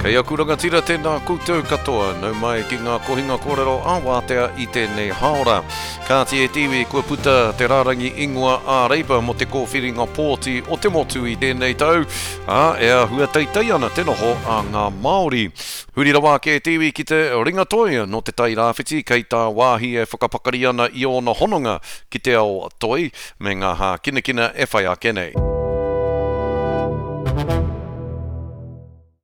Kei aku rangatira tēnā koutou katoa, nau mai ki ngā kohinga kōrero ā-wātea i tēnei hāora. Kāti e te iwi, kua puta te rārangi ingoa ā-Reipa mō te kōwhiringa pōti o te motu i tēnei tau, ā, e āhua teitei ana te noho a ngā Māori. Huri rawa ake te iwi ki te ringa toi nō Te Tai Rāwhiti kei tāwāhi e whakapakari ana i ōna hononga ki te ao toi me ngā hākinakina e whai ake nei.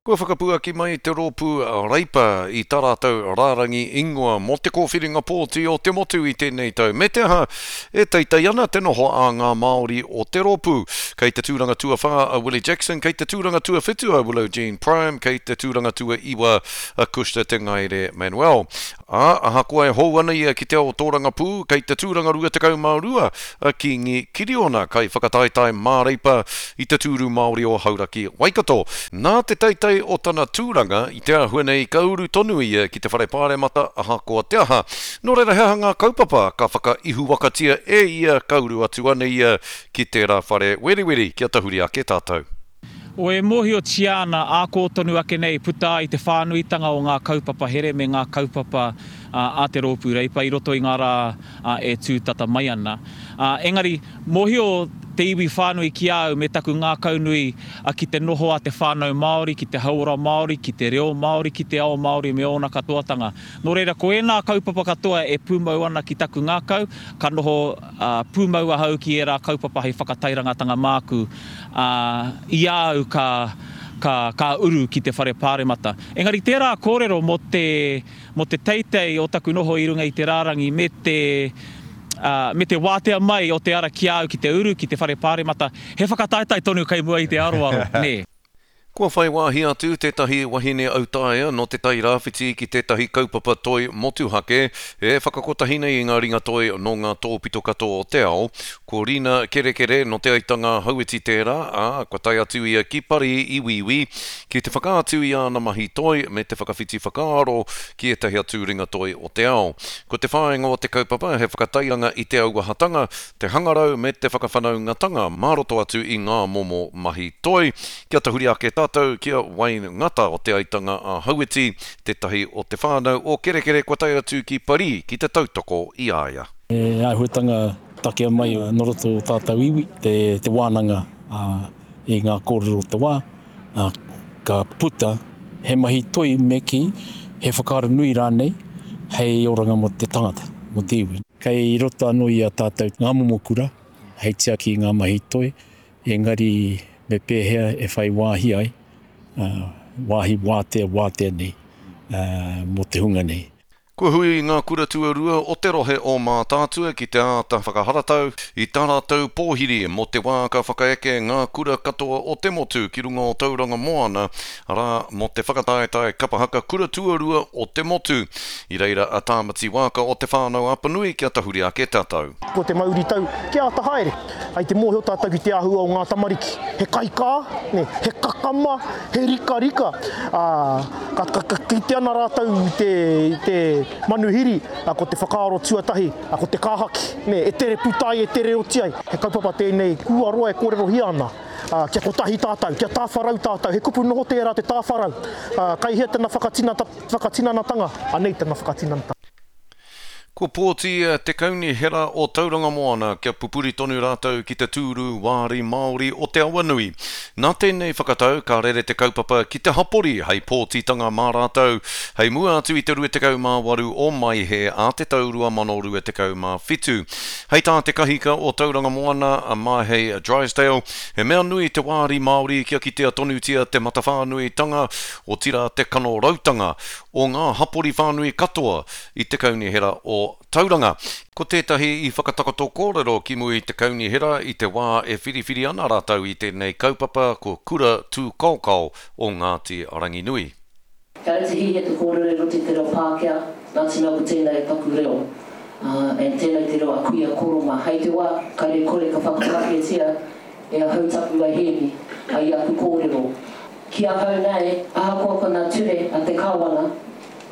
Kua whakapuaki mai te rōpū Reipa i tā rātou rārangi ingoa mō te kōwhiringa pōti o te motu i tēnei tau, me te aha, e teitei ana te noho a ngā Māori o te rōpū. Kei te tūranga tuawhā a Willie Jackson, kei te tūranga tuawhitu a Willow Jean Prime, kei te tūranga tuaiwa a Kushta Te Ngaere Manuel. Ā, ahakoa e hou ana ia ki te ao tōrangapū, kei te tūranga 22 a Kīngi Kiriona, kaiwhakataetae māreipa i te tūru Māori o Hauraki, Waikato. Nā te teitei o tana tūranga i te āhua nei ka uru tonu ia ki te Whare Pāremata ahakoa te aha. Nō reira he aha ngā kaupapa ka whakaihuwakatia e ia ka uru atu ana ia ki tērā whare weriweri kia tahuri ake tātou. O E mōhiotia ana ā kō tonu ake nei puta ai te whānuitanga o ngā kaupapa here me ngā kaupapa a te Rōpū Reipa i roto i ngā rā e tū tata mai ana. Engari, mōhio te iwi whānui ki a au me taku ngākaunui ki te noho a te whānau Māori, ki te hauora Māori, ki te reo Māori, ki te ao Māori me ōna katoatanga. Nō reira, ko ēnā kaupapa katoa e pūmau ana ki taku ngākau, ka noho pūmau ahau ki ērā kaupapa hei whakatairangatanga māku, ā, i a au ka, ka, ka uru ki te whare pāremata. Engari tērā kōrero mō te, mō te teitei o taku noho i runga i te rārangi me te, ā, me te wātea mai o te ara ki a au ki te uru ki te whare pāremata, he whakataetae tonu kei mua i te aroaro, nē. Kua whai wāhi atu tētahi wahine autaia nō Te Tai Rāwhiti ki tētahi kaupapa toi motuhake e whakakotahi nei i ngā ringatoi nō ngā tōpito katoa o te ao. Ko Rina Kerekere nō Te Aitanga-a-Hauiti tērā, ā, kua tae atu ia ki Parī i Wīwī ki te whakaatu i āna mahi toi me te whakawhiti whakaaro ki ētahi atu ringatoi o te ao. Ko te whāinga o te kaupapa he whakatairanga i te auahatanga, te hangarau me te whakawhanaungatanga mā roto atu i ngā momo mahi toi. Kia tahuri ake tātou ki a Wayne Ngata o Te Aitanga a Hauiti, tētahi o te whānau o Kerekere kua tae atu ki Parī ki te tautoko i a ia. He āhuatanga takea mai nō roto o tātou iwi, te wānanga i ngā kōrero o te wā, ka puta he mahi toi me kī, he whakaaro nui rānei hei oranga mō te tangata, mō te iwi. Kei roto anō i a tātou ngā momo kura hei tiaki i ngā mahi toi, engari me pēhea e whai wāhi ai, wāhi wātea, wātea nei mō te hunga nei. Kua hui ngā kura tuarua o te rohe o Mātaatua ki te āta whakaharatau i tā rātou pōhiri mō te wā ka whakaeke ngā kura katoa o te motu ki runga o Tauranga Moana, arā, mō te whakataetae kapa haka kura tuarua o te motu. I reira a Tāmati Waaka o Te Whānau-a-Apanui kia tahuri ake tātou. Ko te mauritau kia āta haere. Hai te mōhio tātou ki te āhua o ngā tamariki. He kaikā, nē, he kakama, he rikarika. Ā, ka, ka, ka kite ana rātou i te, i te manuhiri, ā, ko te whakaaro tuatahi, ā, ko te kāhaki, nē, e tere puta ai, e tere oti ai. He kaupapa tēnei kua roa e kōrerohia ana. Ā, kia kotahi tātou, kia tāwharau tātou. He kupu noho tērā te tāwharau. Ā, kai hea tana whakatinata, whakatinanatanga? Anei tana whakatinanatanga. Kua pōti te Kaunihera o Tauranga Moana kia pupuri tonu rātou ki te tūru wāri Māori o Te Awanui. Nā tēnei whakatau ka rere te kaupapa ki te hapori hei pōtitanga mā rātou hei mua atu i te 28 o Maehe a te tau 2027. Hei tā te kahika o Tauranga Moana a Mahei Drysdale, he mea nui te wāri Māori kia kitea tonutia te matawhānuitanga, otirā te kanorautanga o ngā hapori whānui katoa i te Kaunihera o Tauranga. Ko tētahi i whakatakoto kōrero ki mua i te Kaunihera i te wā e whiriwhiri ana rātou i tēnei kaupapa ko Kura Tūkaokao o Ngāti Ranginui. Kare te hihia te kōrero i roto i te reo Pākehā, nā te mea ko tēnei taku reo, and tēnei te reo a kuia koro mā. Hei te wā, kare kore ka whakapākehātia e ahau taku wahine i aku kōrero. Ki ahau nei, ahakoa ko ngā ture a te Kāwana,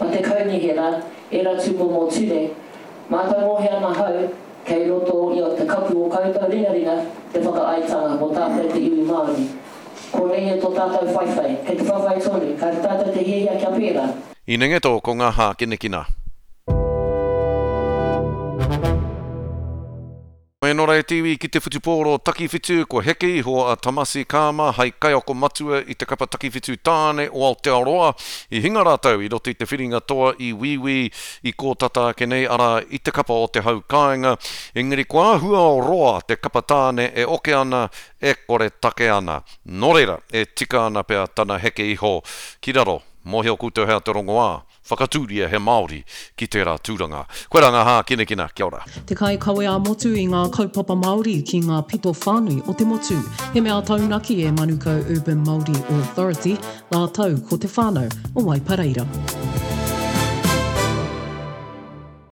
a te Kaunihera, ērā tūmomo ture, mātangohe ana hau kei roto i te kapu o koutou ringaringa te whakaaetanga mō tātou te iwi Māori. Konei e tō tātou whaiwhai. Kei te whawhai tonu. Kāre tātou te hiahia kia pērā. Inengeto ko ngā hākinakina. Nō reira te iwi ki te whutupōro takiwhitu, kua heke iho a Tamasi Kama hai kaiako matua i te kapa takiwhitu tāne o Aotearoa. I hinga rātou i roto i te whiringa toa i Wīwī i kō tata ake nei, arā, i te kapa o te hau kāinga. Engari kua āhua roa te kapa tāne e oke ana, e kore take ana. Nō reira, e tika ana pea tana heke iho ki raro. Mōhio koutou hea te rongoā. Whakatūria he Māori ki tērā tūranga. Koirā ngā hākinakina, kia ora. Te kaikawe ā-motu i ngā kaupapa Māori ki ngā pito whānui o te motu. He mea taunaki e Manukau Urban Māori Authority rātou ko te whānau o Waipareira.